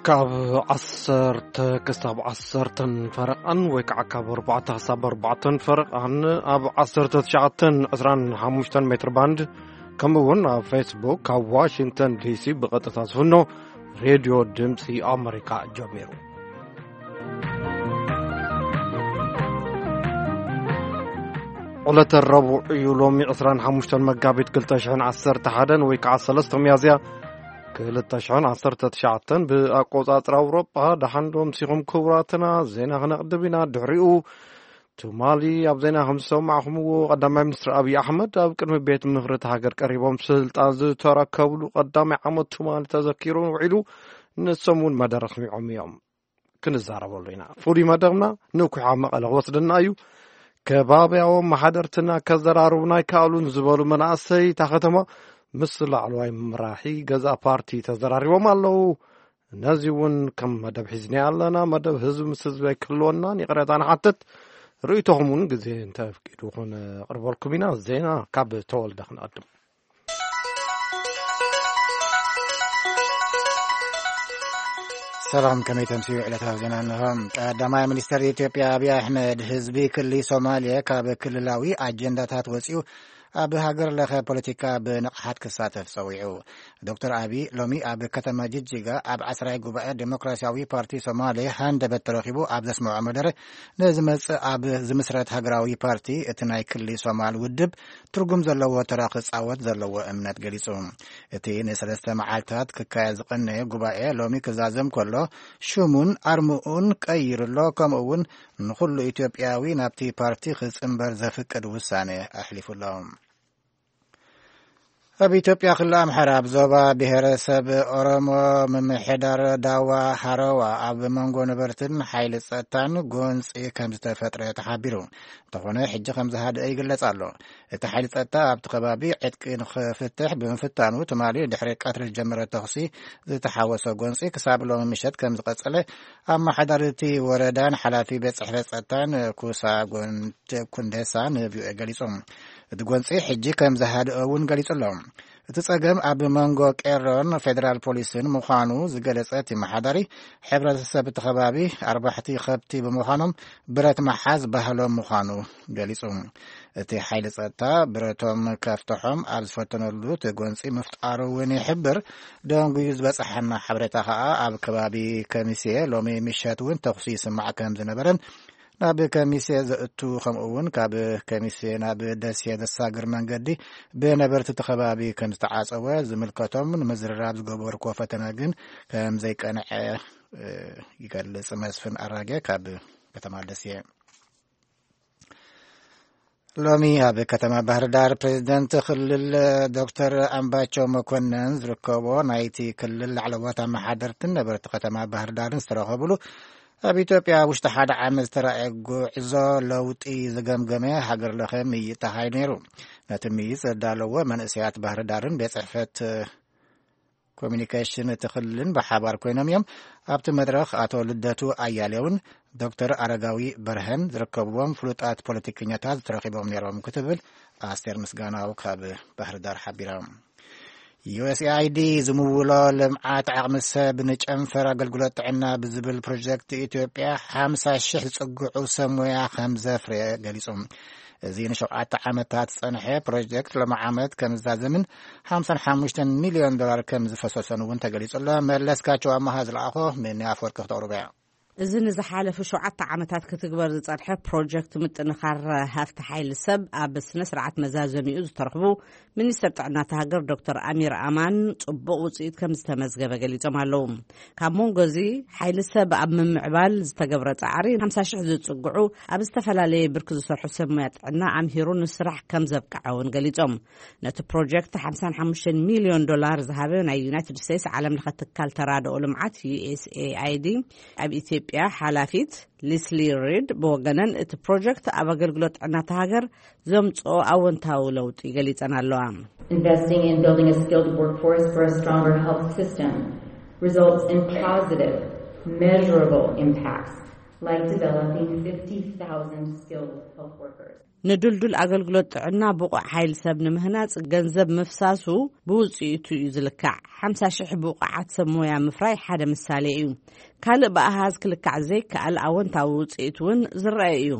ካብ ዓሰርተ ክሳብ ዓሰርተን ፈረቓን ወይ ከዓ ካብ ኣርባዕተ ክሳብ ኣርባዕተን ፈረቓን ኣብ ዓሰርተ ትሽዓተን ዕስራን ሓሙሽተን ሜትር ባንድ፣ ከምኡ እውን ኣብ ፌስቡክ ካብ ዋሽንግተን ዲሲ ብቐጥታ ዝፍኖ ሬድዮ ድምፂ ኣመሪካ ጀሚሩ። ዕለተ ረቡዕ እዩ፣ ሎሚ ዕስራን ሓሙሽተን መጋቢት ክልተ ሽሕን ዓሰርተ ሓደን ወይ ከዓ ሰለስተ ሚያዝያ ክልተ ሽሕን ዓሰርተ ትሽዓተን ብኣቆጻጽራ ኣውሮጳ። ደሓን ዶ ምሲኹም ክቡራትና? ዜና ክነቕድም ኢና። ድሕሪኡ ትማሊ ኣብ ዜና ከም ዝሰማዕኹምዎ፣ ቀዳማይ ሚኒስትር ኣብይ ኣሕመድ ኣብ ቅድሚ ቤት ምኽሪ እታ ሃገር ቀሪቦም ስልጣን ዝተረከብሉ ቀዳማይ ዓመት ትማሊ ተዘኪሩ ውዒሉ። ንሶም እውን መደረ ኣስሚዖም እዮም። ክንዛረበሉ ኢና። ፍሉይ መደብና ንኩሓ መቐለ ክወስደና እዩ። ከባብያዎም ማሕደርትና ከዘራርቡና ኣይከኣሉን ዝበሉ መናእሰይ እታ ከተማ ምስ ላዕለዋይ መራሒ ገዛ ፓርቲ ተዘራሪቦም ኣለዉ። ነዚ እውን ከም መደብ ሒዝና ኣለና። መደብ ህዝቢ ምስ ህዝቢ ኣይክህልወናን፣ ይቕረታ ንሓትት። ርእይቶኹም እውን ግዜ እንተፍቂዱ ክነቕርበልኩም ኢና። ዜና ካብ ተወልደ ክንቐድም። ሰላም፣ ከመይ ተምስዩ? ዕለታዊ ዜና እንሆ። ቀዳማይ ሚኒስትር ኢትዮጵያ ኣብይ ኣሕመድ፣ ህዝቢ ክልል ሶማሌ ካብ ክልላዊ ኣጀንዳታት ወፂኡ ኣብ ሃገር ለኸ ፖለቲካ ብንቕሓት ክሳተፍ ጸዊዑ። ዶክተር ኣቢ ሎሚ ኣብ ከተማ ጅጅጋ ኣብ ዓስራይ ጉባኤ ዴሞክራሲያዊ ፓርቲ ሶማሌ ሃንደበት ተረኺቡ ኣብ ዘስምዖ መደረ፣ ንዝመጽእ ኣብ ዝምስረት ሃገራዊ ፓርቲ እቲ ናይ ክሊ ሶማል ውድብ ትርጉም ዘለዎ ተራ ክጻወት ዘለዎ እምነት ገሊጹ። እቲ ንሰለስተ መዓልታት ክካየድ ዝቐነየ ጉባኤ ሎሚ ክዛዘም ከሎ፣ ሽሙን ኣርምኡን ቀይሩ ኣሎ። ከምኡ እውን ንኹሉ ኢትዮጵያዊ ናብቲ ፓርቲ ክጽንበር ዘፍቅድ ውሳነ ኣሕሊፉ ኣሎ። ኣብ ኢትዮጵያ ክልል ኣምሓራ ኣብ ዞባ ብሔረሰብ ኦሮሞ ምምሕዳር ዳዋ ሃረዋ ኣብ መንጎ ነበርትን ሓይሊ ጸጥታን ጎንጺ ከም ዝተፈጥረ ተሓቢሩ። እንተኾነ ሕጂ ከም ዝሃደአ ይግለጽ ኣሎ። እቲ ሓይሊ ጸጥታ ኣብቲ ከባቢ ዕጥቂ ንኽፍትሕ ብምፍታኑ ትማሊ ድሕሪ ቀትሪ ዝጀመረ ተኹሲ ዝተሓወሶ ጎንጺ ክሳብ ሎሚ ምሸት ከም ዝቐጸለ ኣመሓዳሪ እቲ ወረዳን ሓላፊ ቤት ጽሕፈት ጸጥታን ኩሳ ጎንድ ኩንዴሳ ንቪኦኤ ገሊጹ። እቲ ጎንጺ ሕጂ ከም ዝሃደኦ እውን ገሊጹ ኣሎ። እቲ ጸገም ኣብ መንጎ ቄሮን ፌደራል ፖሊስን ምዃኑ ዝገለጸ እቲ መሓዳሪ፣ ሕብረተሰብ እቲ ከባቢ ኣርባሕቲ ከብቲ ብምዃኖም ብረት መሓዝ ባህሎም ምዃኑ ገሊጹ። እቲ ሓይሊ ጸጥታ ብረቶም ከፍትሖም ኣብ ዝፈተነሉ እቲ ጎንጺ ምፍጣሩ እውን ይሕብር። ደንጉዩ ዝበጽሓና ሓበሬታ ከኣ ኣብ ከባቢ ከሚሴ ሎሚ ምሸት እውን ተኹሲ ይስማዕ ከም ዝነበረን ናብ ከሚሴ ዘእቱ ከምኡ እውን ካብ ከሚሴ ናብ ደሴ ዘሳግር መንገዲ ብነበርቲ እቲ ከባቢ ከም ዝተዓጸወ ዝምልከቶም ንምዝርራብ ዝገበርክዎ ፈተነ ግን ከም ዘይቀንዐ፣ እ፣ ይገልጽ። መስፍን ኣራጌ ካብ ከተማ ደሴ። ሎሚ ኣብ ከተማ ባህር ዳር ፕሬዝደንት ክልል ዶክተር ኣምባቸው መኮንን ዝርከቦ ናይቲ ክልል ላዕለዎት ኣመሓደርትን ነበርቲ ከተማ ባህር ዳርን ዝተረኸብሉ ኣብ ኢትዮጵያ ውሽጢ ሓደ ዓመት ዝተረኣየ ጉዕዞ ለውጢ ዝገምገመ ሃገር ለኸ ምይይጥ ተኻይዱ ነይሩ። ነቲ ምይይጥ ዘዳለዎ መንእሰያት ባህር ዳርን ቤት ጽሕፈት ኮሚኒኬሽን እቲ ክልልን ብሓባር ኮይኖም እዮም። ኣብቲ መድረኽ ኣቶ ልደቱ ኣያሌውን ዶክተር ኣረጋዊ በርሀን ዝርከብዎም ፍሉጣት ፖለቲከኛታት ተረኺቦም ነይሮም ክትብል ኣስቴር ምስጋናው ካብ ባህር ዳር ሓቢራ። ዩ ኤስ ኤ ኣይ ዲ ዝምውሎ ልምዓት ዓቕሚ ሰብ ንጨንፈር ኣገልግሎት ጥዕና ብዝብል ፕሮጀክት ኢትዮጵያ ሓምሳ ሽሕ ዝጽግዑ ሰብ ሞያ ከም ዘፍረየ ገሊጹ። እዚ ንሸውዓተ ዓመታት ዝጸንሐ ፕሮጀክት ሎሚ ዓመት ከም ዝዛዘምን ሓምሳን ሓሙሽተን ሚልዮን ዶላር ከም ዝፈሰሶን እውን ተገሊጹ ኣሎ። መለስካቸው ኣማሃ ዝለኣኾ፣ ምን ኣፈወርቂ ክተቕርቦ እያ። እዚ ንዝሓለፉ ሸውዓተ ዓመታት ክትግበር ዝጸንሐ ፕሮጀክት ምጥንኻር ሃፍቲ ሓይሊ ሰብ ኣብ ስነ ስርዓት መዛዘሚኡ ዝተረኽቡ ሚኒስትር ጥዕና እታ ሃገር ዶክተር ኣሚር ኣማን ጽቡቕ ውጽኢት ከም ዝተመዝገበ ገሊጾም ኣለዉ። ካብ መንጎ እዚ ሓይሊ ሰብ ኣብ ምምዕባል ዝተገብረ ጻዕሪ ሓምሳ ሽሕ ዝጽግዑ ኣብ ዝተፈላለየ ብርኪ ዝሰርሑ ሰብ ሞያ ጥዕና ኣምሂሩ ንስራሕ ከም ዘብቅዐ እውን ገሊጾም። ነቲ ፕሮጀክት ሓምሳን ሓሙሽተን ሚልዮን ዶላር ዝሃበ ናይ ዩናይትድ ስቴትስ ዓለም ለኸ ትካል ተራድኦ ልምዓት ዩ ኤስ ኤ ኣይ ዲ ኣብ ኢትዮጵያ ሓላፊት ሊስሊ ሪድ ብወገነን እቲ ፕሮጀክት ኣብ ኣገልግሎት ጥዕና እታ ሃገር ዘምጽኦ ኣወንታዊ ለውጢ ገሊጸን ኣለዋ። Investing in building a skilled workforce for a stronger health system results in positive, measurable impacts. like developing fifty thousand skilled health workers. ንድልዱል ኣገልግሎት ጥዕና ብቑዕ ሓይል ሰብ ንምህናጽ ገንዘብ ምፍሳሱ ብውጽኢቱ እዩ ዝልካዕ። ሓምሳ ሽሕ ብቑዓት ሰብ ሞያ ምፍራይ ሓደ ምሳሌ እዩ። ካልእ ብኣሃዝ ክልካዕ ዘይከኣል ኣወንታዊ ውጽኢት እውን ዝረአ እዩ።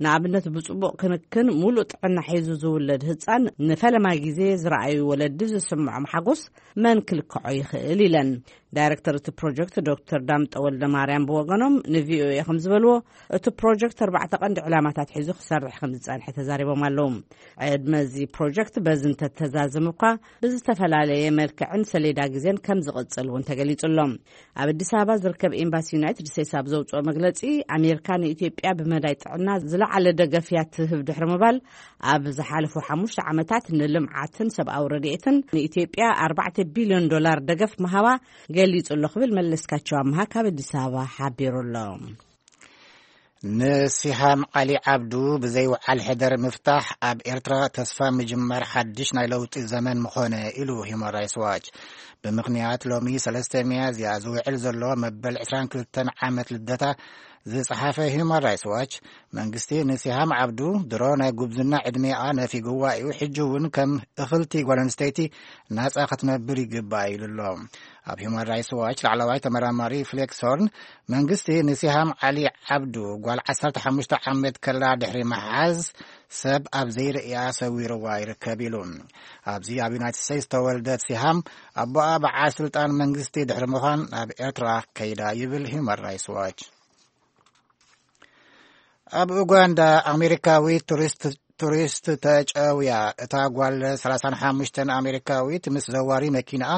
ንኣብነት፣ ብጽቡቕ ክንክን፣ ሙሉእ ጥዕና ሒዙ ዝውለድ ህጻን፣ ንፈለማ ግዜ ዝረኣዩ ወለዲ ዝስምዖም ሓጎስ መን ክልክዖ ይኽእል? ኢለን። ዳይረክተር እቲ ፕሮጀክት ዶክተር ዳምጠ ወልደ ማርያም ብወገኖም ንቪኦኤ ከም ዝበልዎ፣ እቲ ፕሮጀክት ኣርባዕተ ቀንዲ ዕላማታት ሒዙ ክሰርሕ ከም ዝጸንሐ ተዛሪቦም ኣለዉ። ዕድመ እዚ ፕሮጀክት በዚ እንተተዛዝም እኳ፣ ብዝተፈላለየ መልክዕን ሰሌዳ ግዜን ከም ዝቕጽል እውን ተገሊጹ ኣሎ። ኣብ ኣዲስ ኣበባ ዝርከብ ኤምባሲ ዩናይትድ ስቴትስ ኣብ ዘውጽኦ መግለጺ፣ ኣሜሪካ ንኢትዮጵያ ብመዳይ ጥዕና ዝለዓለ ደገፍ እያ ትህብ ድሕሪ ምባል፣ ኣብ ዝሓለፉ ሓሙሽተ ዓመታት ንልምዓትን ሰብኣዊ ረድኤትን ንኢትዮጵያ ኣርባዕተ ቢልዮን ዶላር ደገፍ ምሃባ ገሊጹ ኣሎ ክብል መለስካቸው ኣምሃ ካብ ኣዲስ ኣበባ ሓቢሩ ኣሎ። ንሲሃም ዓሊ ዓብዱ ብዘይውዓል ሕደር ምፍታሕ ኣብ ኤርትራ ተስፋ ምጅማር ሓድሽ ናይ ለውጢ ዘመን ምኾነ ኢሉ ሂውማን ራይትስ ዋች። ብምኽንያት ሎሚ ሰለስተ ሚያዝያ ዝውዕል ዘሎ መበል ዕስራን ክልተን ዓመት ልደታ ዝጸሓፈ ሂውማን ራይትስ ዋች፣ መንግስቲ ንሲሃም ዓብዱ ድሮ ናይ ጉብዝና ዕድሜኣ ነፊግዋ እዩ፣ ሕጂ እውን ከም እኽልቲ ጓል ኣንስተይቲ ናጻ ክትነብር ይግባእ ኢሉ ኣሎ። ኣብ ሂውማን ራይትስ ዋች ላዕለዋይ ተመራማሪ ፍሌክስ ሆርን፣ መንግስቲ ንሲሃም ዓሊ ዓብዱ ጓል ዓሰርተ ሓሙሽተ ዓመት ከላ ድሕሪ ምሓዝ ሰብ ኣብ ዘይርእያ ሰዊርዋ ይርከብ ኢሉ። ኣብዚ ኣብ ዩናይትድ ስቴትስ ዝተወልደት ሲሃም፣ ኣቦኣ በዓል ስልጣን መንግስቲ ድሕሪ ምዃን ናብ ኤርትራ ከይዳ ይብል ሂውማን ራይትስ ዋች። ኣብ ኡጋንዳ ኣሜሪካዊ ቱሪስት ቱሪስት ተጨውያ። እታ ጓል ሰላሳን ሓሙሽተን ኣሜሪካዊት ምስ ዘዋሪ መኪናኣ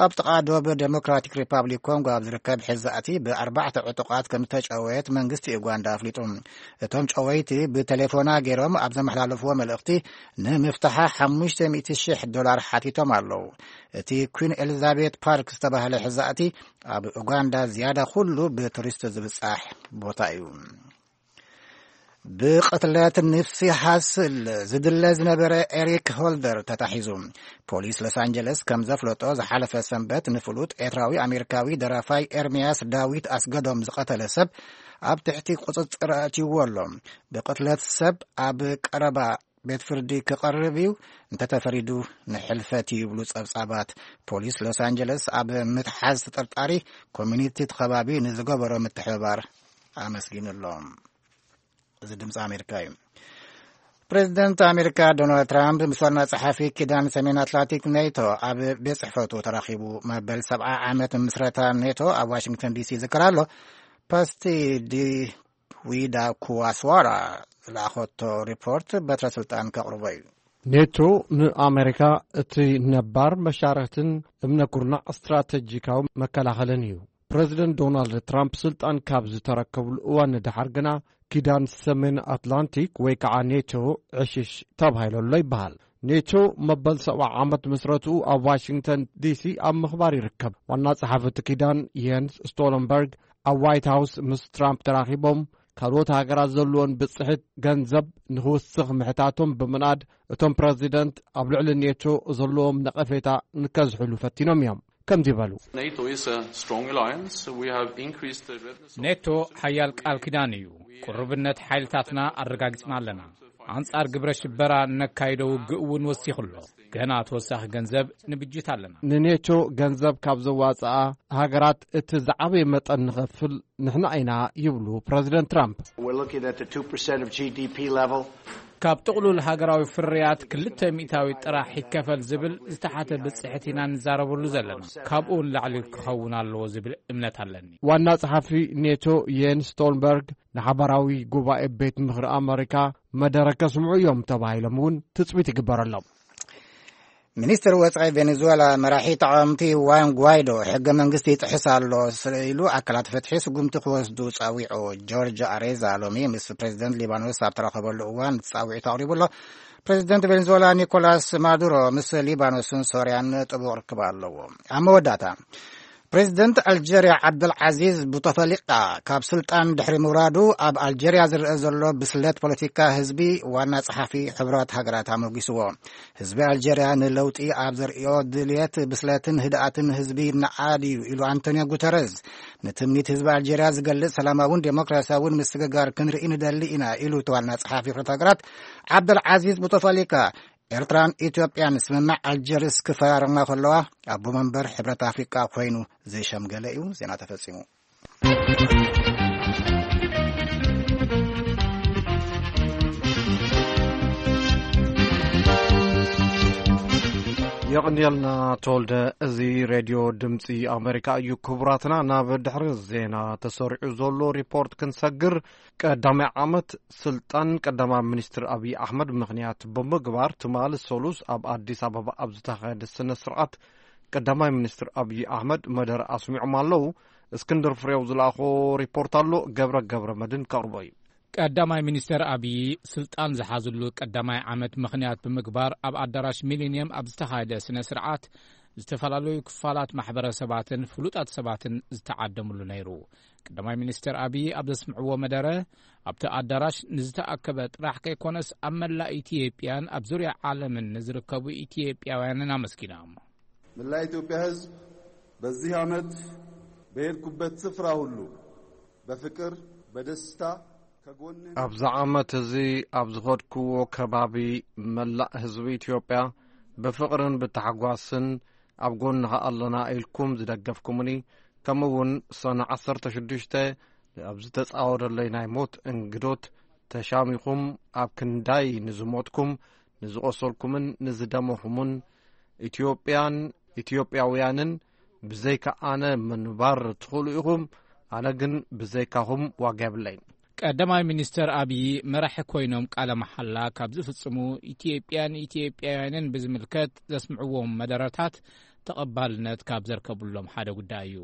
ኣብ ጥቓ ዶብ ዴሞክራቲክ ሪፓብሊክ ኮንጎ ኣብ ዝርከብ ሕዛእቲ ብኣርባዕተ ዕጡቓት ከም ዝተጨወየት መንግስቲ ኡጋንዳ ኣፍሊጡ። እቶም ጨወይቲ ብቴሌፎና ገይሮም ኣብ ዘመሓላለፍዎ መልእኽቲ፣ ንምፍታሓ ሓሙሽተ ሚእቲ ሽሕ ዶላር ሓቲቶም ኣለዉ። እቲ ኩን ኤሊዛቤት ፓርክ ዝተባህለ ሕዛእቲ ኣብ ኡጋንዳ ዝያዳ ኩሉ ብቱሪስት ዝብጻሕ ቦታ እዩ። ብቕትለት ኒፕሲ ሃስል ዝድለ ዝነበረ ኤሪክ ሆልደር ተታሒዙ። ፖሊስ ሎስ ኣንጀለስ ከም ዘፍለጦ፣ ዝሓለፈ ሰንበት ንፍሉጥ ኤርትራዊ ኣሜሪካዊ ደራፋይ ኤርምያስ ዳዊት ኣስገዶም ዝቐተለ ሰብ ኣብ ትሕቲ ቁጽጽር ኣእትይዎ ኣሎ። ብቕትለት ሰብ ኣብ ቀረባ ቤት ፍርዲ ክቐርብ እዩ፣ እንተተፈሪዱ ንሕልፈት እዩ ይብሉ ጸብጻባት። ፖሊስ ሎስ ኣንጀለስ ኣብ ምትሓዝ ተጠርጣሪ ኮሚኒቲ እቲ ከባቢ ንዝገበሮ ምትሕብባር ኣመስጊኑ ኣሎ። እዚ ድምፂ ኣሜሪካ እዩ። ፕሬዚደንት ኣሜሪካ ዶናልድ ትራምፕ ምስ ዋና ጸሓፊ ኪዳን ሰሜን ኣትላንቲክ ኔቶ ኣብ ቤት ጽሕፈቱ ተራኺቡ። መበል ሰብዓ ዓመት ምስረታ ኔቶ ኣብ ዋሽንግተን ዲሲ ይዝከር ኣሎ። ፓስቲ ዲ ዊዳ ኩዋስዋራ ዝለኣኸቶ ሪፖርት በትረ ስልጣን ከቕርቦ እዩ። ኔቶ ንኣሜሪካ እቲ ነባር መሻርኽትን እምነ ኩርናዕ ስትራተጂካዊ መከላኸልን እዩ። ፕረዚደንት ዶናልድ ትራምፕ ስልጣን ካብ ዝተረከብሉ እዋን ንደሓር ግና ኪዳን ሰሜን ኣትላንቲክ ወይ ከዓ ኔቶ ዕሽሽ ተባሂሉ ኣሎ ይበሃል። ኔቶ መበል ሰብዓ ዓመት ምስረትኡ ኣብ ዋሽንግተን ዲሲ ኣብ ምኽባር ይርከብ። ዋና ጸሓፊ እቲ ኪዳን የንስ ስቶለንበርግ ኣብ ዋይት ሃውስ ምስ ትራምፕ ተራኺቦም፣ ካልኦት ሃገራት ዘለዎን ብጽሒት ገንዘብ ንኽውስኽ ምሕታቶም ብምንኣድ፣ እቶም ፕረዚደንት ኣብ ልዕሊ ኔቶ ዘለዎም ነቐፌታ ንከዝሕሉ ፈቲኖም እዮም። ከምዚ በሉ። NATO is a strong alliance. We have increased the readiness of ኔቶ ሓያል ቃል ኪዳን እዩ። ቅሩብነት ሓይልታትና ኣረጋጊጽና ኣለና። ኣንጻር ግብረ ሽበራ ነካይዶ ውግእ እውን ወሲኹ ኣሎ። ገና ተወሳኺ ገንዘብ ንብጅት ኣለና። ንኔቶ ገንዘብ ካብ ዘዋጽኣ ሃገራት እቲ ዝዓበየ መጠን ንኸፍል ንሕና ኢና ይብሉ ፕረዚደንት ትራምፕ። We're looking at the two percent of G D P level. ካብ ጥቕሉል ሃገራዊ ፍርያት ክልተ ሚእታዊ ጥራሕ ይከፈል ዝብል ዝተሓተ ብጽሕት ኢና ንዛረበሉ ዘለና። ካብኡ ንላዕሊ ክኸውን ኣለዎ ዝብል እምነት ኣለኒ። ዋና ጸሓፊ ኔቶ የንስ ስቶልንበርግ ንሓባራዊ ጉባኤ ቤት ምኽሪ ኣመሪካ መደረ ከስምዑ እዮም ተባሂሎም እውን ትጽቢት ይግበረሎም። ሚኒስትር ወጻኢ ቬኔዙዌላ መራሒ ተቓወምቲ ዋን ጓይዶ ሕገ መንግስቲ ይጥሕስ ኣሎ ኢሉ ኣካላት ፍትሒ ስጉምቲ ክወስዱ ጸዊዑ። ጆርጅ ኣሬዛ ሎሚ ምስ ፕሬዚደንት ሊባኖስ ኣብ ተራኸበሉ እዋን ጻዊዒት ኣቕሪቡ ኣሎ። ፕሬዚደንት ቬኔዙዌላ ኒኮላስ ማዱሮ ምስ ሊባኖስን ሶርያን ጥቡቕ ርክብ ኣለዎ። ኣብ መወዳእታ፣ ፕሬዚደንት ኣልጀርያ ዓብደልዓዚዝ ቡተፈሊቃ ካብ ስልጣን ድሕሪ ምውራዱ፣ ኣብ ኣልጀርያ ዝረአ ዘሎ ብስለት ፖለቲካ ህዝቢ ዋና ጸሓፊ ሕብራት ሃገራት ኣሞጊስዎ። ህዝቢ ኣልጀርያ ንለውጢ ኣብ ዘርእዮ ድልየት፣ ብስለትን ህድኣትን ህዝቢ ይነኣድ እዩ ኢሉ ኣንቶኒዮ ጉተረዝ። ንትምኒት ህዝቢ ኣልጀርያ ዝገልጽ ሰላማውን ዴሞክራሲያውን ምስግጋር ክንርኢ ንደሊ ኢና ኢሉ እቲ ዋና ጸሓፊ ሕብረት ሃገራት ዓብደልዓዚዝ ቡተፈሊቃ። ኤርትራን ኢትዮጵያን ስምምዕ ኣልጀርስ ክፈራረማ ከለዋ፣ ኣቦ መንበር ሕብረት ኣፍሪቃ ኮይኑ ዝሸምገለ እዩ። ዜና ተፈጺሙ። የቕንየልና ተወልደ። እዚ ሬድዮ ድምፂ ኣሜሪካ እዩ። ክቡራትና፣ ናብ ድሕሪ ዜና ተሰሪዑ ዘሎ ሪፖርት ክንሰግር፣ ቀዳማይ ዓመት ስልጣን ቀዳማይ ሚኒስትር ኣብይ ኣሕመድ ምኽንያት ብምግባር፣ ትማሊ ሰሉስ ኣብ ኣዲስ ኣበባ ኣብ ዝተኻየደ ስነ ስርዓት፣ ቀዳማይ ሚኒስትር ኣብይ ኣሕመድ መደረ ኣስሚዖም ኣለዉ። እስክንድር ፍሬው ዝለኣኾ ሪፖርት ኣሎ፣ ገብረ ገብረ መድን ከቕርቦ እዩ። ቀዳማይ ሚኒስተር ኣብይ ስልጣን ዝሓዝሉ ቀዳማይ ዓመት ምኽንያት ብምግባር፣ ኣብ ኣዳራሽ ሚሊኒየም ኣብ ዝተኻየደ ስነ ስርዓት፣ ዝተፈላለዩ ክፋላት ማሕበረሰባትን ፍሉጣት ሰባትን ዝተዓደምሉ ነይሩ። ቀዳማይ ሚኒስተር ኣብይ ኣብ ዘስምዕዎ መደረ፣ ኣብቲ ኣዳራሽ ንዝተኣከበ ጥራሕ ከይኮነስ፣ ኣብ መላእ ኢትዮጵያን ኣብ ዙርያ ዓለምን ንዝርከቡ ኢትዮጵያውያንን ኣመስጊኖም። መላእ ኢትዮጵያ ህዝብ፣ በዚህ ዓመት በሄድኩበት ስፍራ ሁሉ በፍቅር፣ በደስታ ከጎንህ ኣብዚ ዓመት እዚ ኣብ ዝኸድክዎ ከባቢ፣ መላእ ህዝቢ ኢትዮጵያ ብፍቕርን ብታሕጓስን ኣብ ጎንኻ ኣለና ኢልኩም ዝደገፍኩምኒ፣ ከምኡ እውን ሰነ ዓሰርተ ሽዱሽተ ኣብ ዝተጻወደለይ ናይ ሞት እንግዶት ተሻሚኹም ኣብ ክንዳይ ንዝሞትኩም፣ ንዝቖሰልኩምን ንዝደመኹምን ኢትዮጵያን ኢትዮጵያውያንን፣ ብዘይካ ኣነ ምንባር ትኽእሉ ኢኹም፣ ኣነ ግን ብዘይካኹም ዋጋ የብለይን። ቀዳማይ ሚኒስተር ኣብይ መራሒ ኮይኖም ቃለ መሓላ ካብ ዝፍጽሙ ኢትዮጵያን ኢትዮጵያውያንን ብዝምልከት ዘስምዕዎም መደረታት ተቐባልነት ካብ ዘርከብሎም ሓደ ጉዳይ እዩ።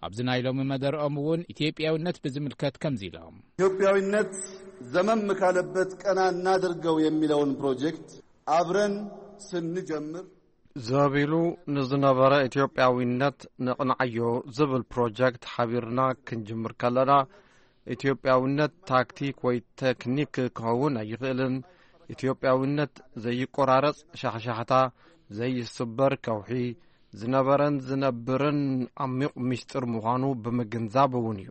ኣብዚ ናይ ሎሚ መደረኦም እውን ኢትዮጵያውነት ብዝምልከት ከምዚ ኢሎም። ኢትዮጵያዊነት ዘመም ካለበት ቀና እናድርገው የሚለውን ፕሮጀክት አብረን ስንጀምር፣ ዘቢሉ ንዝነበረ ኢትዮጵያዊነት ነቕንዓዮ ዝብል ፕሮጀክት ሓቢርና ክንጅምር ከለና፣ ኢትዮጵያዊነት ታክቲክ ወይ ቴክኒክ ክኸውን ኣይኽእልን። ኢትዮጵያዊነት ዘይቆራረጽ ሻሕሻሕታ፣ ዘይስበር ከውሒ፣ ዝነበረን ዝነብርን ዓሚቕ ምስጢር ምዃኑ ብምግንዛብ እውን እዩ።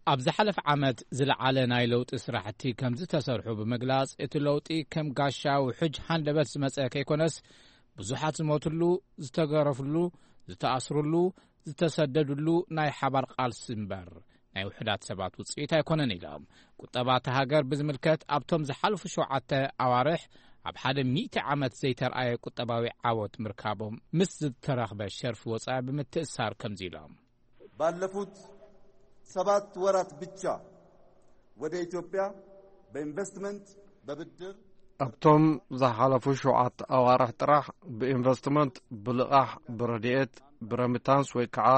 ኣብ ዝሓለፈ ዓመት ዝለዓለ ናይ ለውጢ ስራሕቲ ከም ዝተሰርሑ ብምግላጽ፣ እቲ ለውጢ ከም ጋሻ ውሕጅ ሃንደበት ዝመጸ ከይኮነስ፣ ብዙሓት ዝሞትሉ፣ ዝተገረፍሉ፣ ዝተኣስርሉ፣ ዝተሰደድሉ ናይ ሓባር ቃልሲ እምበር፣ ናይ ውሑዳት ሰባት ውጽኢት ኣይኮነን ኢሎም። ቁጠባ እታ ሃገር ብዝምልከት፣ ኣብቶም ዝሓለፉ ሸውዓተ ኣዋርሕ ኣብ ሓደ ሚእቲ ዓመት ዘይተርኣየ ቁጠባዊ ዓወት ምርካቦም ምስ ዝተረኽበ ሸርፊ ወጻኢ ብምትእሳር ከምዚ ኢሎም። ባለፉት ሰባት ወራት ብቻ ወደ ኢትዮጵያ በኢንቨስትመንት፣ በብድር፣ ኣብቶም ዝሓለፉ ሸውዓተ ኣዋርሕ ጥራሕ ብኢንቨስትመንት፣ ብልቓሕ፣ ብረድኤት፣ ብረሚታንስ ወይ ከዓ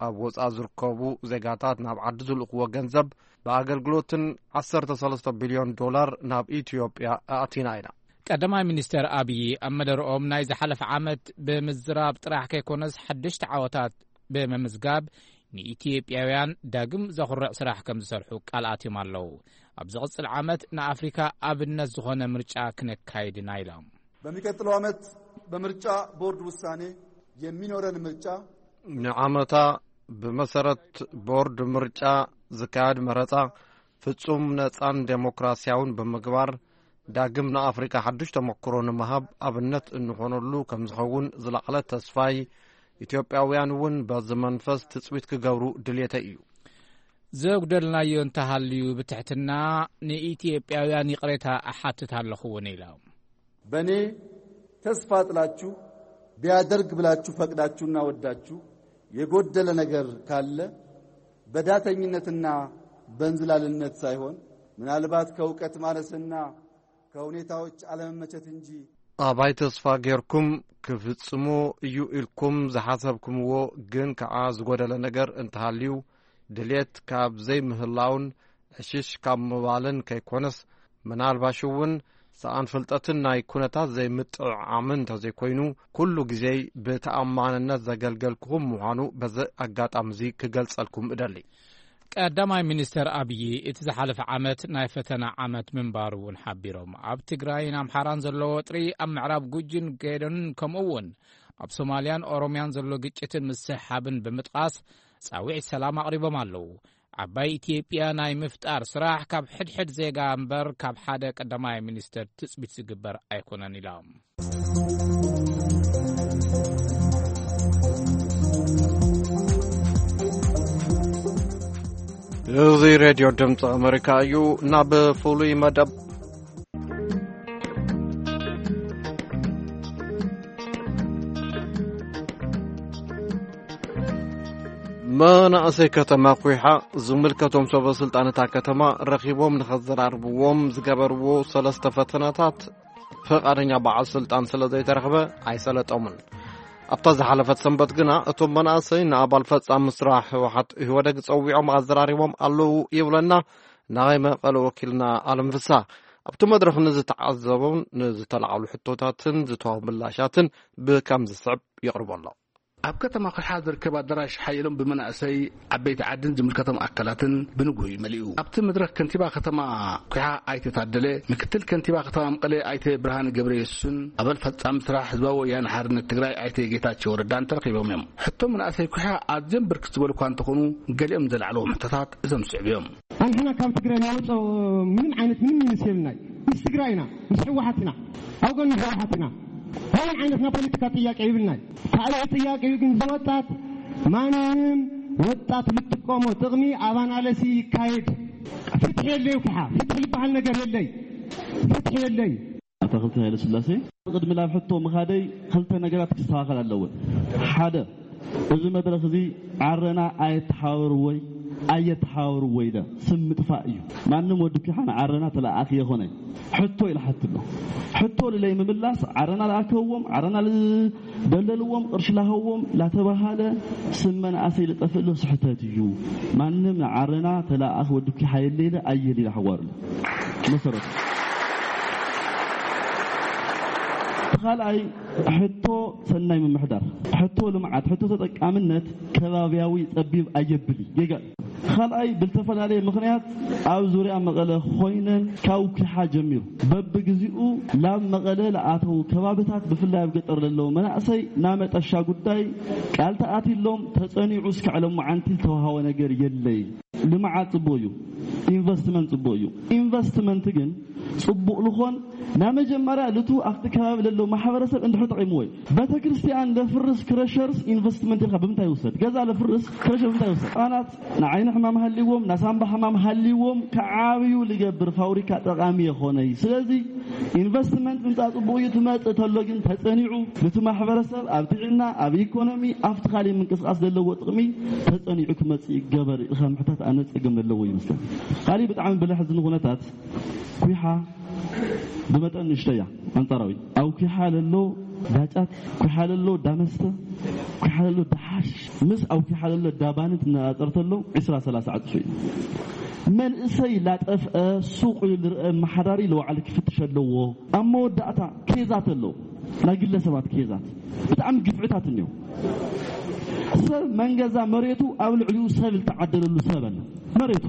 ኣብ ወፃኢ ዝርከቡ ዜጋታት ናብ ዓዲ ዝልእኽዎ ገንዘብ ብኣገልግሎትን ዓሰርተ ሰለስተ ቢልዮን ዶላር ናብ ኢትዮጵያ ኣእቲና ኢና። ቀዳማይ ሚኒስተር ኣብዪ ኣብ መደረኦም፣ ናይ ዝሓለፈ ዓመት ብምዝራብ ጥራሕ ከይኮነስ፣ ሓደሽቲ ዓወታት ብምምዝጋብ፣ ንኢትዮጵያውያን ዳግም ዘኹርዕ ስራሕ ከም ዝሰርሑ ቃል ኣትዮም ኣለዉ። ኣብ ዝቕጽል ዓመት ንኣፍሪካ ኣብነት ዝኾነ ምርጫ ክነካይድ ኢና ኢሎም። በሚቀጥለው ዓመት በምርጫ ቦርድ ውሳኔ የሚኖረን ምርጫ ንዓመታ ብመሰረት ቦርድ ምርጫ ዝካየድ መረፃ ፍጹም ነጻን ዴሞክራሲያውን ብምግባር፣ ዳግም ንኣፍሪካ ሓዱሽ ተመክሮ ንምሃብ ኣብነት እንኾነሉ ከም ዝኸውን ዝለዓለ ተስፋይ፣ ኢትዮጵያውያን እውን በዚ መንፈስ ትጽቢት ክገብሩ ድልየተይ እዩ። ዘጉደልናዮ እንተሃልዩ ብትሕትና ንኢትዮጵያውያን ይቕሬታ እሓትት ኣለኹ እውን ኢሎም። በእኔ ተስፋ ጥላችሁ፣ ቢያደርግ ብላችሁ ፈቅዳችሁና ወዳችሁ የጎደለ ነገር ካለ፣ በዳተኝነትና በእንዝላልነት ሳይሆን፣ ምናልባት ከእውቀት ማነስና ከሁኔታዎች አለመመቸት እንጂ። ኣባይ ተስፋ ጌርኩም ክፍጽሞ እዩ ኢልኩም ዝሓሰብኩምዎ ግን ከኣ ዝጎደለ ነገር እንተሃልዩ፣ ድሌት ካብ ዘይምህላውን ዕሽሽ ካብ ምባልን ከይኮነስ፣ ምናልባሽ እውን ሰኣን ፍልጠትን ናይ ኩነታት ዘይምጥዕዓምን እንተዘይኮይኑ፣ ኩሉ ግዜይ ብተኣማንነት ዘገልገልኩኹም ምዃኑ በዚ ኣጋጣሚ እዚ ክገልጸልኩም እደሊ። ቀዳማይ ሚኒስተር ኣብዪ፣ እቲ ዝሓለፈ ዓመት ናይ ፈተና ዓመት ምንባሩ እውን ሓቢሮም። ኣብ ትግራይን ኣምሓራን ዘሎ ወጥሪ፣ ኣብ ምዕራብ ጉጂን ጌዶን፣ ከምኡ እውን ኣብ ሶማልያን ኦሮምያን ዘሎ ግጭትን ምስሕሓብን ብምጥቓስ፣ ጻውዒት ሰላም ኣቕሪቦም ኣለዉ። ዓባይ ኢትዮጵያ ናይ ምፍጣር ስራሕ ካብ ሕድሕድ ዜጋ እምበር ካብ ሓደ ቀዳማይ ሚኒስተር ትጽቢት ዝግበር ኣይኮነን ኢሎም። እዚ ሬድዮ ድምፂ ኣመሪካ እዩ። ናብ ፍሉይ መደብ መናእሰይ ከተማ ኩሓ ዝምልከቶም ሰበ ስልጣን እታ ከተማ ረኺቦም ንኸዘራርብዎም ዝገበርዎ ሰለስተ ፈተነታት ፍቓደኛ በዓል ስልጣን ስለ ዘይተረኽበ ኣይሰለጦምን። ኣብታ ዝሓለፈት ሰንበት ግና እቶም መናእሰይ ንኣባል ፈጻሚ ስራሕ ህወሓት ኢህወደግ ጸዊዖም ኣዘራሪቦም ኣለዉ ይብለና ናይ መቐለ ወኪልና ኣለም ፍስሃ። ኣብቲ መድረኽ ንዝተዓዘቦም ንዝተላዕሉ ሕቶታትን ዝተዋህቡ ምላሻትን ብከም ዝስዕብ የቕርቦ ኣሎ። ኣብ ከተማ ኩሓ ዝርከብ ኣዳራሽ ሓየሎም ብመናእሰይ ዓበይቲ ዓድን ዝምልከቶም ኣካላትን ብንግሆ እዩ መሊኡ። ኣብቲ መድረኽ ከንቲባ ከተማ ኩሓ ኣይተ ታደለ፣ ምክትል ከንቲባ ከተማ መቐለ ኣይተ ብርሃነ ገብረየሱስን ኣባል ፈጻሚ ስራሕ ህዝባዊ ወያነ ሓርነት ትግራይ ኣይተ ጌታቸው ረዳን ተረኺቦም እዮም። ሕቶ መናእሰይ ኩሓ ኣዝዮም ብርክት ዝበሉ እኳ እንተኾኑ፣ ገሊኦም ዘላዕለዎም ሕቶታት እዞም ዝስዕቡ እዮም። ኣንሕና ካብ ትግራይ ንወፅኦ ምንም ዓይነት ምንም ይምስ የብልናይ። ምስ ትግራይ ኢና፣ ምስ ህወሓት ኢና፣ ኣብ ጎኒ ህወሓት ኢና። ምንም ዓይነት ናይ ፖለቲካ ጥያቄ ይብልናይ። ካልእ ጥያቄ እዩ ግን ዝወጣት ማንም ወጣት ልጥቀሞ ጥቕሚ ኣብ ኣናለሲ ይካየድ። ፍትሒ የለይ ኩሓ፣ ፍትሒ ዝበሃል ነገር የለይ፣ ፍትሒ የለይ። ኣቶ ክልተ ኃይለ ሥላሴ፣ ቅድሚ ናብ ሕቶ ምኻደይ ክልተ ነገራት ክስተኻኸል ኣለወን። ሓደ፣ እዚ መድረኽ እዚ ዓረና ኣየተሓባበርዎይ ኣየተሓባበርዎ ኢለ ስም ምጥፋእ እዩ። ማንም ወዲ ኩሓ ንዓረና ተለኣኣኺ የኾነ ሕቶ ኢለ ሓትሎ። ሕቶ ልለይ ምምላስ ዓረና ለኣከብዎም፣ ዓረና ልደለልዎም፣ ቅርሺ ላሃዎም ላተባሃለ ስም መናእሰይ ልጠፍእ ሎ ስሕተት እዩ። ማንም ንዓረና ተለኣኣኺ ወዲ ኩሓ የለ ኢለ ኣየል ኢለ ሓዋርሎ መሰረቱ። እቲ ካልኣይ ሕቶ ሰናይ ምምሕዳር፣ ሕቶ ልምዓት፣ ሕቶ ተጠቃምነት ከባብያዊ ጸቢብ ኣየብል እዩ። ጌጋ እዩ። ካልኣይ ብልተፈላለየ ምኽንያት ኣብ ዙርያ መቐለ ኮይነን ካብ ኩሓ ጀሚሩ በብግዚኡ ላብ መቐለ ለኣተዉ ከባብታት ብፍላይ ኣብ ገጠር ለለዉ መናእሰይ ናመጠሻ ጉዳይ ቃል ተኣትሎም ተጸኒዑ እስካዕ ሎማዓንቲ ዝተዋሃወ ነገር የለይ። ልምዓት ጽቡቕ እዩ። ኢንቨስትመንት ጽቡቕ እዩ። ኢንቨስትመንት ግን ጽቡቕ ልኾን ናብ መጀመርያ ልቱ ኣብቲ ከባቢ ለሎ ማሕበረሰብ እንድሕር ጠቒምዎ እዩ። ቤተክርስትያን ለፍርስ ክረሸርስ ኢንቨስትመንት ኢልካ ብምንታይ ይውሰድ? ገዛ ለፍርስ ክረሸር ብምንታይ ይውሰድ? ህፃናት ንዓይኒ ሕማም ሃልይዎም፣ ናሳምባ ሕማም ሃልይዎም ክዓብዩ ልገብር ፋብሪካ ጠቓሚ የኾነይ። ስለዚ ኢንቨስትመንት ምምፃእ ጽቡቕ እዩ፣ ትመጽእ ተሎ ግን ተጸኒዑ ነቲ ማሕበረሰብ ኣብ ጥዕና፣ ኣብ ኢኮኖሚ፣ ኣብቲ ካሊእ ምንቅስቃስ ዘለዎ ጥቕሚ ተጸኒዑ ክመጽእ ይገበር ኢልካ ምሕታት ኣነ ጸገም ዘለዎ ይመስለኒ። ካሊእ ብጣዕሚ ብለሕ ዝን ኩነታት ኩሓ ብመጠን ንእሽተያ ኣንጻራዊ ኣብ ኩሓ ለሎ ዳጫት፣ ኩሓ ለሎ ዳመስተ፣ ኩሓ ለሎ ዳሓሽ ምስ ኣብ ኩሓ ለሎ ዳባን ትነጻጸር ተሎ ዒስራ ሰላሳ ዕጽፊ እዩ። መንእሰይ ላጠፍአ ሱቕ ኢሉ ዝርአ መሓዳሪ ለዋዕሊ ክፍትሽ ኣለዎ። ኣብ መወዳእታ ኬዛት ኣለዉ፣ ናይ ግለሰባት ኬዛት ብጣዕሚ ግፍዕታት እኒኦ። ሰብ መንገዛ መሬቱ ኣብ ልዕሊኡ ሰብ ዝተዓደለሉ ሰብ ኣለ። መሬቱ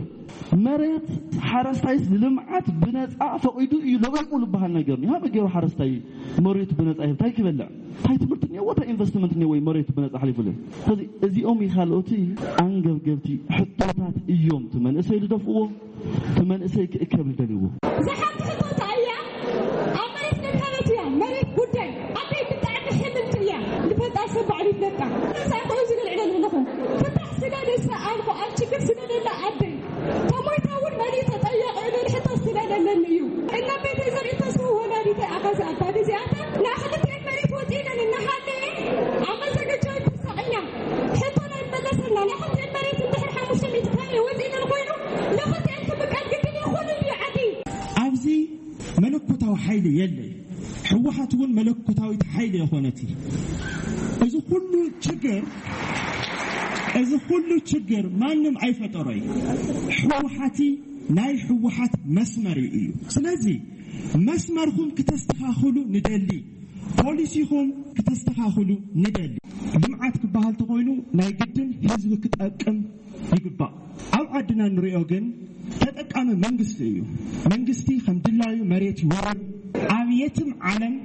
መሬት ሓረስታይስ ንልምዓት ብነፃ ፈቒዱ እዩ ለቂቑ ዝበሃል ነገር እዩ። ሃበ ገይሩ ሓረስታይ መሬቱ ብነፃ ይህብ እንታይ ክበልዕ? እንታይ ትምህርቲ እኒኦ? እንታይ ኢንቨስትመንት እኒኦ? ወይ መሬቱ ብነፃ ሓሊፉ ለ ስለዚ እዚኦም ይኻልኦቲ ኣንገብገብቲ ሕቶታት እዮም። እቲ መንእሰይ ዝደፍእዎ እቲ መንእሰይ ክእከብ ዝደልይዎ። ዝሓንቲ ሕቶታ እያ ኣብ መሬት ለካበት እያ። መሬት ጉዳይ ኣደይ ብጣዕሚ ሕምምቲ እያ። ንፈጣር ሰብ ባዕሉ ይፍለጣ። ንሳ ከምዚ ንልዕለ ኣለኹ ፍታሕ ስለ ደሳ ኣልኩ ኣብ ችግር ስለ ደላ ኣደይ ተሞይታ እውን መሊእ ተጠየቕ እብል ሕቶ ስለ ደለኒ እዩ። እና ቤተይ ዘርኢ ተስፉ ወላዲተይ ኣኻዚ ኣባዲ እዚኣተን ናይ ክልቲኤን መሬት ወፂለን እናሃለየ ኣብ መዘገጃ ተሳቒና ሕቶና ይመለሰልና። ናይ ክልቲኤን መሬት እንድሕር ሓሙሽተ ሚእቲ ካሬ ወፂለን ኮይኑ ንክልቲኤን ክምቀል ግድን ይኹን እዩ ዓዲ። ኣብዚ መለኮታዊ ሓይሊ የለይ። ህወሓት እውን መለኮታዊት ሓይሊ የኾነት። እዚ ኩሉ ችግር እዚ ኩሉ ችግር ማንም ኣይፈጠሮይ። ህወሓቲ ናይ ህወሓት መስመር እዩ። ስለዚ መስመርኩም ክተስተኻኽሉ ንደሊ፣ ፖሊሲኹም ክተስተኻኽሉ ንደሊ። ልምዓት ክበሃል ተኾይኑ ናይ ግድን ህዝቢ ክጠቅም ይግባእ። ኣብ ዓድና ንሪኦ ግን ተጠቃሚ መንግስቲ እዩ። መንግስቲ ከም ድላዩ መሬት ይወርር። ኣብ የትም ዓለም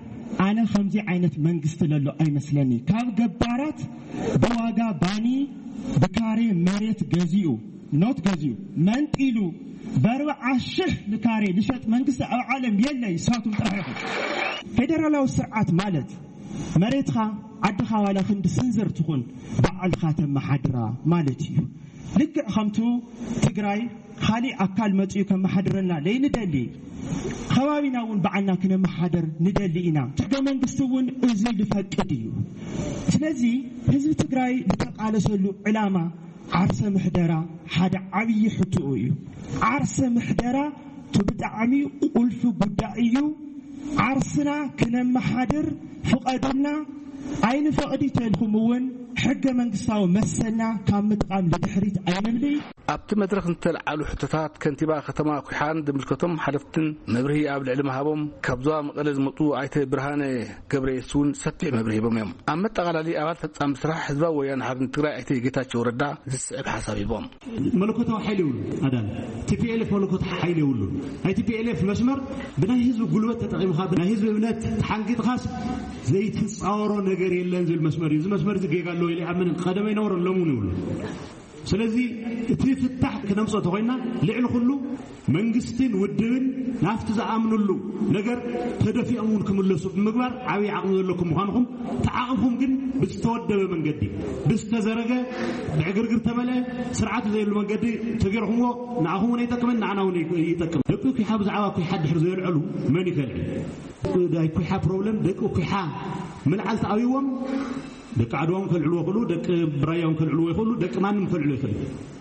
ኣነ ከምዚ ዓይነት መንግስቲ ለሎ ኣይመስለኒ። ካብ ገባራት ብዋጋ ባኒ ብካሬ መሬት ገዚኡ፣ ኖት ገዚኡ፣ መንጢሉ፣ በርብዓ ሽሕ ንካሬ ልሸጥ መንግስቲ ኣብ ዓለም የለ። ይሳቱም ጥራሕ ኢኹም። ፌደራላዊ ስርዓት ማለት መሬትኻ፣ ዓድኻ ዋላ ክንዲ ስንዝር ትኹን ባዕልኻ ተመሓድራ ማለት እዩ። ልክዕ ከምቱ ትግራይ ካሊእ ኣካል መፂኡ ከመሓድረና ለይንደሊ፣ ከባቢና እውን ባዕልና ክነመሓደር ንደሊ ኢና። ሕገ መንግስቲ እውን እዚ ልፈቅድ እዩ። ስለዚ ህዝቢ ትግራይ ዝተቃለሰሉ ዕላማ ዓርሰ ምሕደራ ሓደ ዓብዪ ሕትኡ እዩ። ዓርሰ ምሕደራ እቲ ብጣዕሚ ቁልፊ ጉዳይ እዩ። ዓርስና ክነመሓድር ፍቐዱልና። ኣይንፈቕዲ ተልኩም እውን ሕገ መንግስታዊ መሰልና ካብ ምጥቓም ንድሕሪት ኣይንብሊ። ኣብቲ መድረኽ ዝተልዓሉ ሕቶታት ከንቲባ ከተማ ኩሓን ዝምልከቶም ሓለፍትን መብርሂ ኣብ ልዕሊ ምሃቦም፣ ካብ ዞባ መቐለ ዝመፁ ኣይተ ብርሃነ ገብረየሱስ እውን ሰፊሕ መብርሂ ሂቦም እዮም። ኣብ መጠቓላሊ ኣባል ፈጻሚ ስራሕ ህዝባዊ ወያነ ሓርነት ትግራይ ኣይተ ጌታቸው ረዳ ዝስዕብ ሓሳብ ሂቦም። መለኮታዊ ሓይሊ የብሉ ኣዳን። ቲፒኤልኤፍ መለኮታዊ ሓይሊ የብሉ። ናይ ቲፒኤልኤፍ መስመር ብናይ ህዝቢ ጉልበት ተጠቒምካ፣ ብናይ ህዝቢ እምነት ተሓንጊጥካስ ዘይትፃወሮ ነገር የለን ዝብል መስመር እዩ። እዚ መስመር እዚ ጌጋ ኣለዎ ኢለ ይኣምንን። ቀደመ ኣይነበሮን፣ ሎሚ እውን የብሉ። ስለዚ እቲ ፍታሕ ክነምፅኦ ተኾይና ልዕሊ ኩሉ መንግስትን ውድብን ናብቲ ዝኣምንሉ ነገር ተደፊኦም እውን ክምለሱ ብምግባር ዓብዪ ዓቕሚ ዘለኩም ምዃንኹም፣ እቲ ዓቕምኹም ግን ብዝተወደበ መንገዲ፣ ብዝተዘረገ፣ ብዕግርግር ተመልአ፣ ስርዓት ዘይብሉ መንገዲ ተገይርኩምዎ ንኣኹም እውን ኣይጠቅምን፣ ንዓና እውን ይጠቅም። ደቂ ኩሓ ብዛዕባ ኩሓ ድሕር ዘየልዐሉ መን ይፈልጥ? ናይ ኩሓ ፕሮብለም ደቂ ኩሓ ምልዓል ተኣብይዎም ደቂ ዓድዋ እውን ከልዕልዎ ይኽእሉ፣ ደቂ ብራያ እውን ከልዕልዎ ይኽእሉ፣ ደቂ ማንም ከልዕልዎ ይኽእል።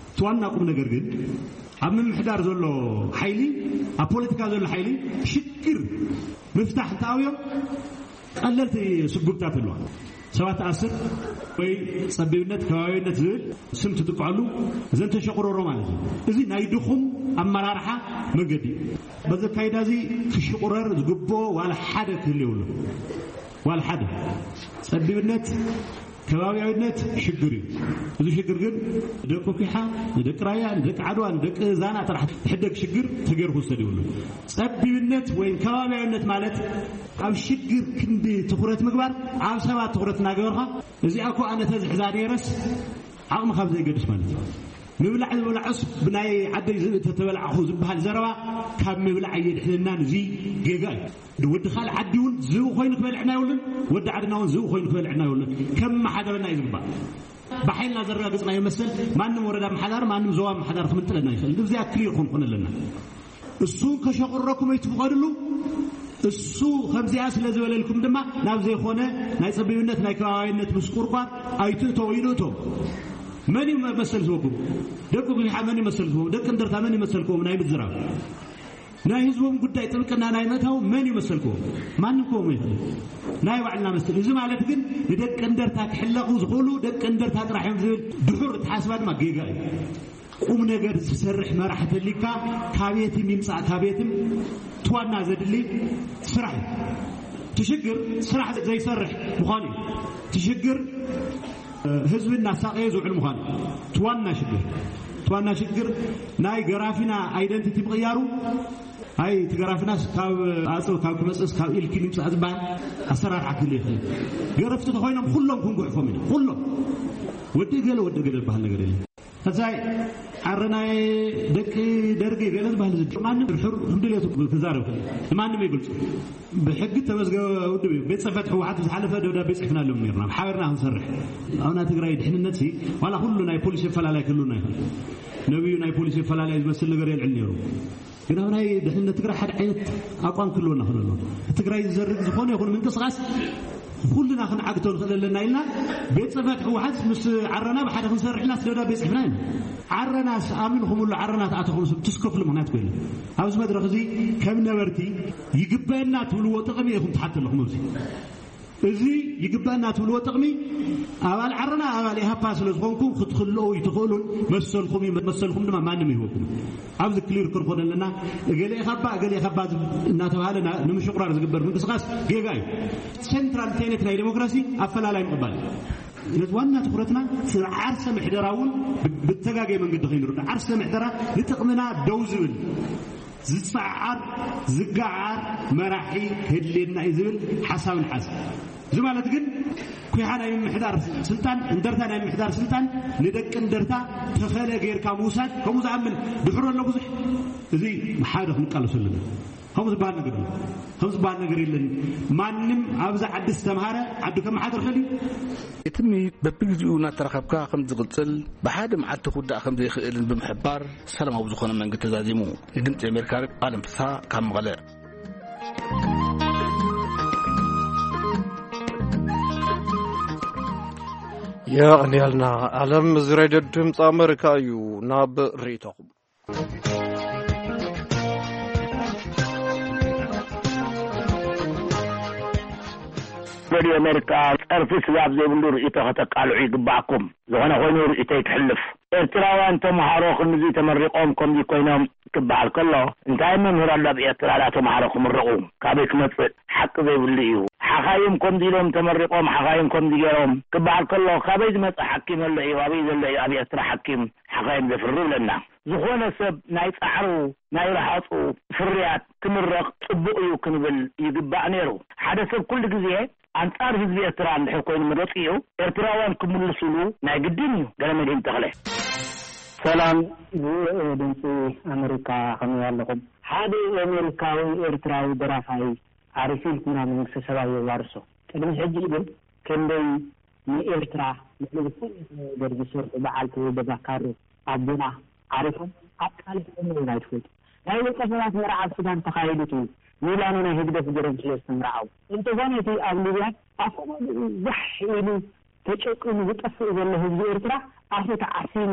እቲ ዋና ቁም ነገር ግን ኣብ ምምሕዳር ዘሎ ሓይሊ፣ ኣብ ፖለቲካ ዘሎ ሓይሊ ሽግር ምፍታሕ እንተኣብዮም ቀለልቲ ስጉምታት ኣለዋ። ሰባት ትኣስር ወይ ጸቢብነት፣ ከባቢነት ዝብል ስም ትጥቅዐሉ፣ እዘን ተሸቑረሮ ማለት እዩ። እዚ ናይ ድኹም ኣመራርሓ መንገዲ እዩ። በዚ ኣካይዳ እዚ ክሽቑረር ዝግብኦ ዋላ ሓደ ክህሉ የብሉ። ዋላ ሓደ። ጸቢብነት፣ ከባቢያዊነት ሽግር እዩ። እዚ ሽግር ግን ደቂ ኩሓ፣ ንደቂ ራያ፣ ንደቂ ዓድዋ፣ ንደቂ ዛና ጥራሕ ዝሕደግ ሽግር ተገይሩ ክውሰድ የብሉ። ጸቢብነት ወይ ከባቢያዊነት ማለት ኣብ ሽግር ክንዲ ትኹረት ምግባር፣ ኣብ ሰባት ትኹረት እናገበርካ፣ እዚኣ እኮ ኣነ ተዝሕዛ ነይረስ ዓቕሚ ካብ ዘይገድስ ማለት እዩ። ምብላዕ ዝበላዕስ ብናይ ዓደይ ዝብኢ ተተበላዕኹ ዝበሃል ዘረባ ካብ ምብላዕ ኣየድሕነናን። እዚ ጌጋ እዩ። ወዲ ካልእ ዓዲ እውን ዝብኢ ኮይኑ ክበልዕና የብሉን፣ ወዲ ዓድና እውን ዝብኢ ኮይኑ ክበልዕና የብሉን። ከመሓደረና እዩ ዝግባእ። ብሓይልና ዘረጋግጽናዮ መሰል ማንም ወረዳ ኣመሓዳሪ፣ ማንም ዞባ ኣመሓዳሪ ክምንጥለና ይኽእል። እዚኣ ክሊር ክንኮን ኣለና። እሱ ከሸቑረኩም ኣይትፍቐድሉ። እሱ ከምዚኣ ስለ ዝበለልኩም ድማ ናብ ዘይኮነ ናይ ጸቢብነት፣ ናይ ከባቢያዊነት ምስቁርቋር ኣይትእተው ኢሉ እቶም። መን እዩ መሰል ዝህበኩም? ደቂ ጉሒሓ መን እዩ መሰል ዝህቦም? ደቂ እንደርታ መን እዩ መሰልኩም ናይ ምዝራብ? ናይ ህዝቦም ጉዳይ ጥብቅና ናይ ምእታው መን እዩ መሰልኩም? ማንም ክህቦም ይኽእል። ናይ ባዕልና መሰል። እዚ ማለት ግን ንደቂ እንደርታ ክሕለቑ ዝኽእሉ ደቂ እንደርታ ጥራሕ እዮም ዝብል ድሑር ኣተሓሳስባ ድማ ጌጋ እዩ። ቁም ነገር ዝሰርሕ መራሕ ተሊካ ካቤትም ይምጻእ ካቤትም ትዋና ዘድሊ ስራሕ እዩ። ትሽግር ስራሕ ዘይሰርሕ ምዃኑ እዩ። ትሽግር ህዝቢ እናሳቀየ ዝውዕል ምዃኑ ትዋና ሽግር ትዋና ሽግር ናይ ገራፊና ኣይደንቲቲ ምቕያሩ። ኣይ እቲ ገራፊናስ ካብ ኣጽብ ካብ ክመጽእስ ካብ ኢልኪ ንምጻእ ዝበሃል ኣሰራርሓ ክህሉ ይኽእል። ገረፍቲ ተኾይኖም ኩሎም ክንጉሕፎም ኢና። ኩሎም ወዲ ገለ ወዲ ገለ ዝበሃል ነገር የለን። ሕዛይ ዓረናይ ደቂ ደርጊ ገለ ዝበሃል እዚ ማንም ሕር ህምድልየቱ ክዛረብ ይኽእል። ንማንም ይግልጹ። ብሕጊ ተመዝገበ ውድብ እዩ። ቤት ጽሕፈት ህወሓት ዝሓለፈ ደብዳቤ ጽሕፍናሎም ነርና ብሓበርና ክንሰርሕ። ኣብና ትግራይ ድሕንነት ሲ ዋላ ኩሉ ናይ ፖሊሲ ኣፈላላይ ክህሉና ይኽእል። ነብዩ ናይ ፖሊሲ ኣፈላላይ ዝመስል ነገር የልዕል ነይሩ። ግን ኣብ ናይ ድሕንነት ትግራይ ሓደ ዓይነት ኣቋም ክህልወና ክእል ኣሎ። ትግራይ ዝዘርግ ዝኾነ ይኹን ምንቅስቃስ ኩልና ክንዓግቶ ንኽእል ኣለና ኢልና ቤት ጽሕፈት ህወሓት ምስ ዓረና ብሓደ ክንሰርሕ ኢልና ደብዳቤ ጽሕፍና ኢና። ዓረናስ ኣሚንኹምሉ ዓረና ተኣተኹም ስብ ትስከፍሉ ምኽንያት ኮይኑ ኣብዚ መድረኽ እዚ ከም ነበርቲ ይግበአና ትብልዎ ጥቕሚ ኢኹም ትሓት ኣለኹም ኣብዚ እዚ ይግባእና ትብልዎ ጥቕሚ ኣባል ዓረና ኣባል ኢሃፓ ስለ ዝኾንኩም ክትክልኦ ይትኽእሉን መሰልኩም እዩ፣ መሰልኩም ድማ ማንም ይህበኩም። ኣብዚ ክሊር ክንኮነ ኣለና። እገሌ ኢኻባ እገሌ ኢኻባ እናተባሃለ ና- ንምሽቑራር ዝግበር ምንቅስቃስ ጌጋ እዩ። ሴንትራል ቴነት ናይ ዴሞክራሲ ኣፈላላይ ምቕባል እዩ። ነቲ ዋና ትኹረትና ስለ ዓርሰ ምሕደራ እውን ብ- ብተጋገየ መንገዲ ከይንርዶ ዓርሰ ምሕደራ ንጥቕምና ደው ዝብል ዝጸዓር ዝገዓር መራሒ ክህልየና እዩ ዝብል ሓሳብ ንሓዝ። እዚ ማለት ግን ኩሓ ናይ ምምሕዳር ስልጣን እንደርታ ናይ ምምሕዳር ስልጣን ንደቂ እንደርታ ተኸለ ጌርካ ምውሳድ ከምኡ ዝኣምን ድሕሮ ኣሎ ብዙሕ። እዚ ሓደ ክንቃለሱ ኣለና። ከምኡ ዝበሃል ነገር የለን። ከምኡ ዝበሃል ነገር የለን። ማንም ኣብዚ ዓዲ ዝተምሃረ ዓዱ ከመሓድር ክእል እዩ። እቲ ምይይጥ በብግዜኡ እናተራኸብካ ከም ዝቕጽል ብሓደ መዓልቲ ክውዳእ ከም ዘይኽእልን ብምሕባር ሰላማዊ ዝኾነ መንገዲ ተዛዚሙ። ንድምፂ ኣሜሪካ ሬድዮ ኣለም ፍስሃ ካብ መቐለ። የቐንያልና። ኣለም እዚ ሬድዮ ድምፂ ኣሜሪካ እዩ። ናብ ርእይቶኹም። ሬድዮ ኣሜሪካ ጸርፊ ስጋብ ዘይብሉ ርእይቶ ከተቃልዑ ይግባኣኩም። ዝኾነ ኮይኑ ርእይቶይ ክሕልፍ። ኤርትራውያን ተምሃሮ ክንዚ ተመሪቖም ከምዚ ኮይኖም ክበሃል ከሎ እንታይ መምህር ኣሎ ኣብ ኤርትራ ዳ ተምሃሮ ክምረቑ? ካበይ ክመጽእ? ሓቂ ዘይብሉ እዩ። ሓኻይም ከምዚ ኢሎም ተመሪቖም ሓኻይም ከምዚ ገይሮም ክበሃል ከሎ ካበይ ዝመጽእ ሓኪም ኣሎ እዩ? ኣበይ ዘሎ እዩ ኣብ ኤርትራ ሓኪም ሓኻይም ዘፍሪ ይብለና። ዝኾነ ሰብ ናይ ጻዕሩ ናይ ረሃጹ ፍርያት ክምረቕ ጽቡቕ እዩ ክንብል ይግባእ ነይሩ። ሓደ ሰብ ኩሉ ግዜ ኣንጻር ህዝቢ ኤርትራ እንድሕር ኮይኑ መረጺኡ ኤርትራውያን ክምልሱሉ ናይ ግድን እዩ። ገለመድህን ተኽለ። ሰላም ድምፂ ኣሜሪካ ከመይ ኣለኹም? ሓደ ኣሜሪካዊ ኤርትራዊ ደራፋይ ዓሪፉ ኢልኩና መንግስተ ሰማይ የዋርሶ። ቅድሚ ሕጂ ግን ክንደይ ንኤርትራ ልዕሊ ዝኾነ ነገር ዝሰርሑ በዓል ተወልደ ባካሮ ኣቦና ዓሪፎም ኣቃሊሕዎም እውን ኣይትፈልጡ። ናይ ውልቀ ሰባት መርዓ ኣብ ሱዳን ተኻይዱ ትብል ሚላኖ ናይ ህግደፍ ገይሮም ስለ ዝተምርዓው። እንተኾነ እቲ ኣብ ሊብያ ኣፈ ባብኡ ዋሕ ኢሉ ተጨቂኑ ዝጠፍእ ዘሎ ህዝቢ ኤርትራ ኣፉ ተዓፊኑ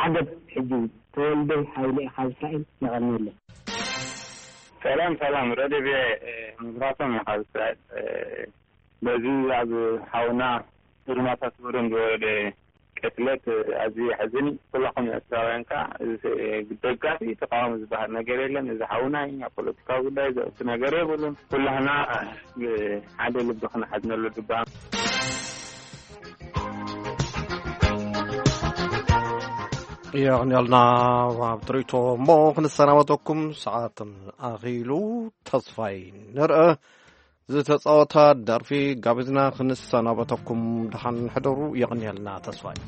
ዓገብ ሕጂ ተወልደ ሃይለ ካብ እስራኤል የቐንየለይ። ሰላም ሰላም ረድዮ ቪኦኤ መብራቶም እየ ካብ እስራኤል። በዚ ኣብ ሓውና እርማታ ስወደን ዝወረደ ቅትለት ኣዝዩ የሕዝን እዩ። ኩላኹም ኤርትራውያን ከዓ ደጋፊ ተቃዋሚ ዝበሃል ነገር የለን። እዚ ሓውና እዩ። ኣብ ፖለቲካዊ ጉዳይ ዘእቱ ነገር የብሉን። ኩላህና ብሓደ ልቢ ክንሓዝነሉ ድባ። የቕንየልና ኣብ ትርኢቶ እሞ ክንሰናበተኩም ሰዓት ኣኺሉ። ተስፋይ ንርአ ዝተጻወታ ደርፊ ጋቢዝና ክንሰናበተኩም። ደሓን ሕደሩ። የቕንየልና ተስፋይ።